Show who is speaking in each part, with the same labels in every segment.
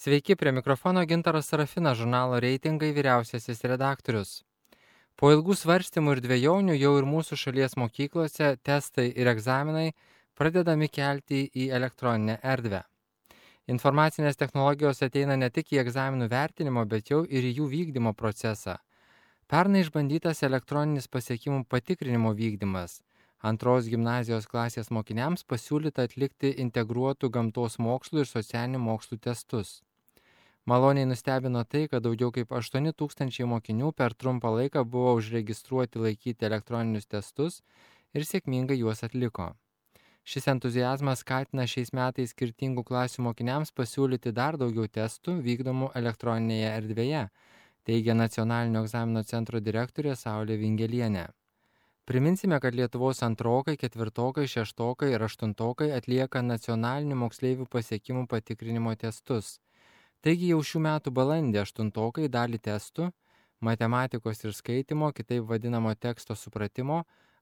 Speaker 1: Sveiki, prie mikrofono Gintaras Sarafinas, žurnalo Reitingai vyriausiasis redaktorius. Po ilgų svarstymų ir dvejonių jau ir mūsų šalies mokyklose testai ir egzaminai pradedami kelti į elektroninę erdvę. Informacinės technologijos ateina ne tik į egzaminų vertinimo, bet jau ir į jų vykdymo procesą. Pernai išbandytas elektroninis pasiekimų patikrinimo vykdymas. Antros gimnazijos klasės mokiniams pasiūlyta atlikti integruotų gamtos mokslų ir socialinių mokslų testus. Maloniai nustebino tai, kad daugiau kaip 8 000 mokinių per trumpą laiką buvo užregistruoti laikyti elektroninius testus ir sėkmingai juos atliko. Šis entuziazmas skatina šiais metais skirtingų klasių mokiniams pasiūlyti dar daugiau testų vykdomų elektroninėje erdvėje, teigia Nacionalinio egzamino centro direktorė Saulė Vingelienė. Priminsime, kad Lietuvos antrokai, ketvirtokai, šeštokai ir aštuntokai atlieka nacionalinių moksleivių pasiekimų patikrinimo testus. Taigi jau šių metų balandį aštuntokai dalį testų, matematikos ir skaitimo, kitaip vadinamo teksto supratimo,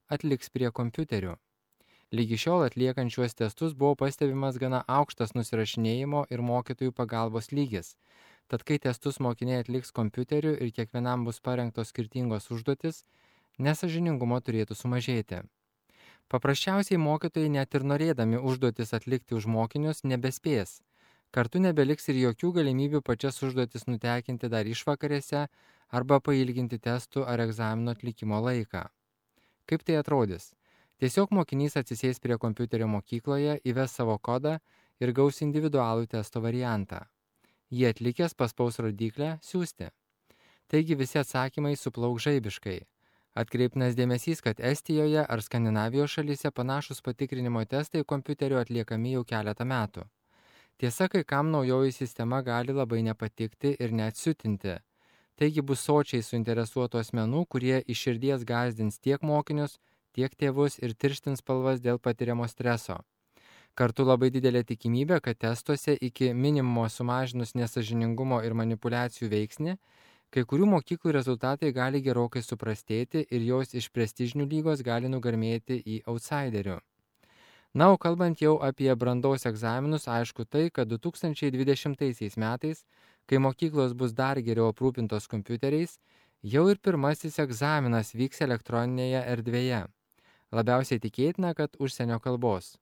Speaker 1: atliks prie kompiuterių. Lygi šiol atliekant šiuos testus buvo pastebimas gana aukštas nusirašinėjimo ir mokytojų pagalbos lygis. Tad kai testus mokiniai atliks kompiuteriu ir kiekvienam bus parengtos skirtingos užduotis, nesąžiningumo turėtų sumažėti. Paprasčiausiai mokytojai net ir norėdami užduotis atlikti už mokinius nebespės. Kartu nebeliks ir jokių galimybių pačias užduotis nutekinti dar išvakarėse arba pailginti testų ar egzamino atlikimo laiką. Kaip tai atrodys? Tiesiog mokinys atsisės prie kompiuterio mokykloje, įves savo kodą ir gaus individualų testo variantą. Jį atlikęs paspaus rodiklę siųsti. Taigi visi atsakymai suplauks žaibiškai. Atkreiptinas dėmesys, kad Estijoje ar Skandinavijos šalyse panašus patikrinimo testai kompiuteriu atliekami jau keletą metų. Tiesa, kai kam naujoji sistema gali labai nepatikti ir net siutinti. Taigi bus sočiai suinteresuotų asmenų, kurie iš širdies gąsdins tiek mokinius, tiek tėvus ir tirštins spalvas dėl patiriamo streso. Kartu labai didelė tikimybė, kad testuose iki minimumo sumažinus nesąžiningumo ir manipulacijų veiksnį, kai kurių mokyklų rezultatai gali gerokai suprastėti ir jos iš prestižinių lygos gali nugarmėti į outsiderių. Na, o kalbant jau apie brandos egzaminus, aišku tai, kad 2020 metais, kai mokyklos bus dar geriau aprūpintos kompiuteriais, jau ir pirmasis egzaminas vyks elektroninėje erdvėje. Labiausiai tikėtina, kad užsienio kalbos.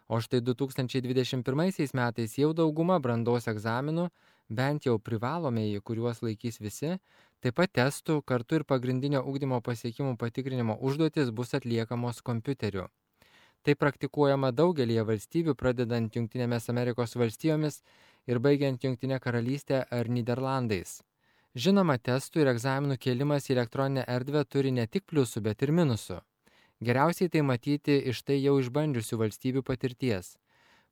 Speaker 1: O štai 2021 metais jau dauguma brandos egzaminų, bent jau privalomieji, kuriuos laikys visi, taip pat testų, kartu ir pagrindinio ugdymo pasiekimų patikrinimo užduotis bus atliekamos kompiuteriu. Tai praktikuojama daugelįje valstybių, pradedant Jungtinėmis Amerikos valstijomis ir baigiant Jungtinę karalystę ar Nyderlandais. Žinoma, testų ir egzaminų kėlimas į elektroninę erdvę turi ne tik pliusų, bet ir minusų. Geriausiai tai matyti iš tai jau išbandžiusių valstybių patirties.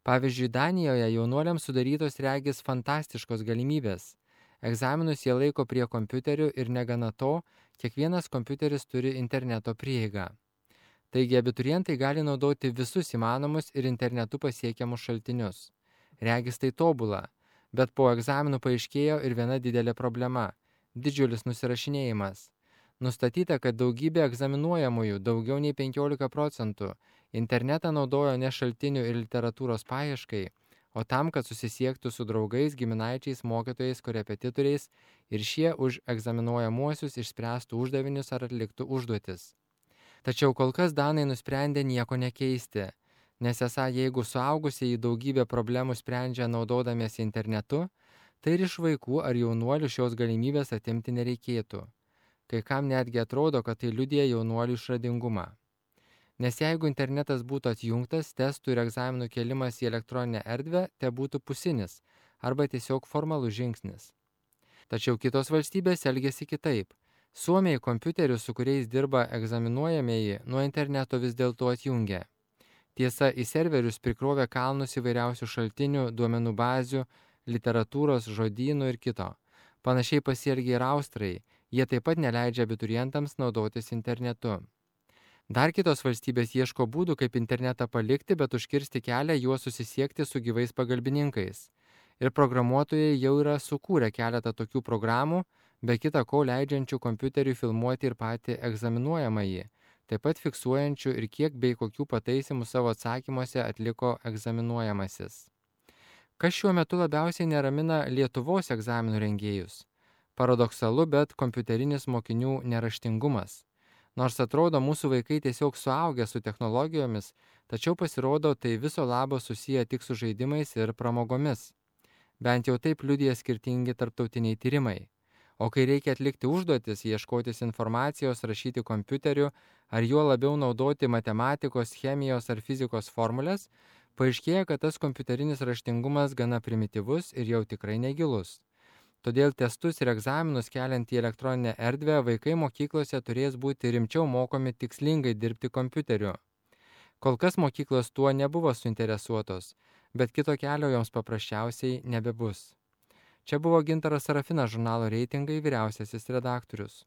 Speaker 1: Pavyzdžiui, Danijoje jaunuoliams sudarytos regis fantastiškos galimybės. Egzaminus jie laiko prie kompiuterių ir negana to, kiekvienas kompiuteris turi interneto prieigą. Taigi abiturientai gali naudoti visus įmanomus ir internetu pasiekiamus šaltinius. Regis tai tobula, bet po egzaminų paaiškėjo ir viena didelė problema – didžiulis nusirašinėjimas. Nustatyta, kad daugybė egzaminuojamųjų, daugiau nei 15%, internetą naudojo ne šaltinių ir literatūros paieškai, o tam, kad susisiektų su draugais, giminaičiais, mokytojais, korepetitoriais ir šie už egzaminuojamuosius išspręstų uždavinius ar atliktų užduotis. Tačiau kol kas danai nusprendė nieko nekeisti, nes esą jeigu suaugusieji daugybę problemų sprendžia naudodamiesi internetu, tai ir iš vaikų ar jaunuolių šios galimybės atimti nereikėtų. Kai kam netgi atrodo, kad tai liudija jaunuolių išradingumą. Nes jeigu internetas būtų atjungtas, testų ir egzaminų kėlimas į elektroninę erdvę te būtų pusinis arba tiesiog formalus žingsnis. Tačiau kitos valstybės elgiasi kitaip. Suomiai kompiuterius, su kuriais dirba egzaminuojamieji, nuo interneto vis dėlto atjungia. Tiesa, į serverius prikrovė kalnus įvairiausių šaltinių, duomenų bazių, literatūros, žodynų ir kito. Panašiai pasielgia ir austrai, jie taip pat neleidžia abiturientams naudotis internetu. Dar kitos valstybės ieško būdų, kaip internetą palikti, bet užkirsti kelią juos susisiekti su gyvais pagalbininkais. Ir programuotojai jau yra sukūrę keletą tokių programų, be kita ko leidžiančių kompiuteriui filmuoti ir patį egzaminuojamąjį, taip pat fiksuojančių ir kiek bei kokių pataisimų savo atsakymuose atliko egzaminuojamasis. Kas šiuo metu labiausiai neramina Lietuvos egzaminų rengėjus? Paradoksalu, bet kompiuterinis mokinių neraštingumas. Nors atrodo mūsų vaikai tiesiog suaugę su technologijomis, tačiau pasirodo tai viso labo susiję tik su žaidimais ir pramogomis. Bent jau taip liudija skirtingi tarptautiniai tyrimai. O kai reikia atlikti užduotis, ieškotis informacijos, rašyti kompiuteriu, ar juo labiau naudoti matematikos, chemijos ar fizikos formulės, paaiškėja, kad tas kompiuterinis raštingumas gana primityvus ir jau tikrai negilus. Todėl testus ir egzaminus keliant į elektroninę erdvę vaikai mokyklose turės būti rimčiau mokomi tikslingai dirbti kompiuteriu. Kol kas mokyklos tuo nebuvo suinteresuotos, bet kito kelio joms paprasčiausiai nebebus. Čia buvo Gintaras Sarafinas, žurnalo Reitingai vyriausiasis redaktorius.